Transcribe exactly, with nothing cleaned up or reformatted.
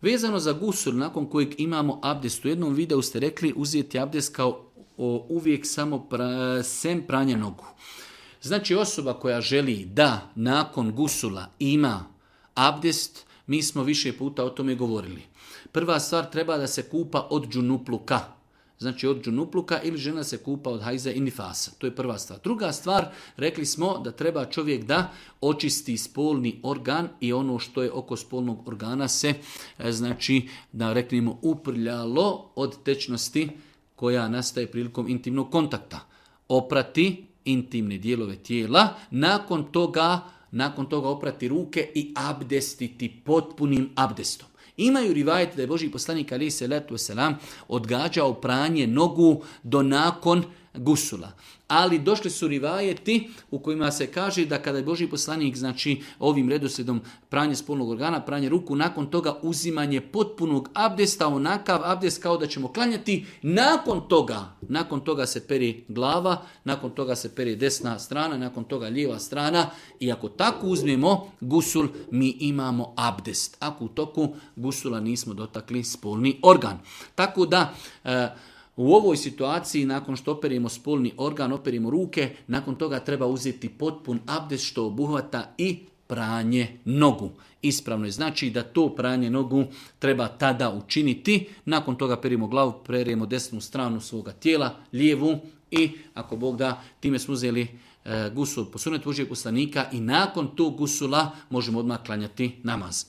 Vezano za gusul, nakon kojeg imamo abdest, u jednom videu ste rekli uzeti abdest kao o, uvijek samo pra, sem pranja nogu. Znači osoba koja želi da nakon gusula ima abdest, mi smo više puta o tome govorili. Prva stvar, treba da se kupa od džunupluka. Znači od džunupluka ili žena se kupa od hajza i nifasa. To je prva stvar. Druga stvar, rekli smo da treba čovjek da očisti spolni organ i ono što je oko spolnog organa se, znači da reknemo uprljalo od tečnosti koja nastaje prilikom intimnog kontakta. Oprati intimne dijelove tijela, nakon toga, nakon toga oprati ruke i abdestiti potpunim abdestom. Imaju rivajete da je Božji poslanik alejhi selatu vesselam odgađao pranje nogu do nakon gusula. Ali došli su rivajeti u kojima se kaže da kada je Božji poslanik, znači ovim redoslijedom pranje spolnog organa, pranje ruku, nakon toga uzimanje potpunog abdesta, onakav abdest kao da ćemo klanjati, nakon toga, nakon toga se peri glava, nakon toga se peri desna strana, nakon toga lijeva strana i ako tako uzmemo gusul, mi imamo abdest. Ako u toku gusula nismo dotakli spolni organ. Tako da e, u ovoj situaciji, nakon što operimo spolni organ, operimo ruke, nakon toga treba uzeti potpun abdest što obuhvata i pranje nogu. Ispravno je znači da to pranje nogu treba tada učiniti. Nakon toga perimo glavu, perimo desnu stranu svoga tijela, lijevu i ako Bog da, time smo uzeli e, gusul po sunnetu Božjeg poslanika i nakon tog gusula možemo odmah klanjati namaz.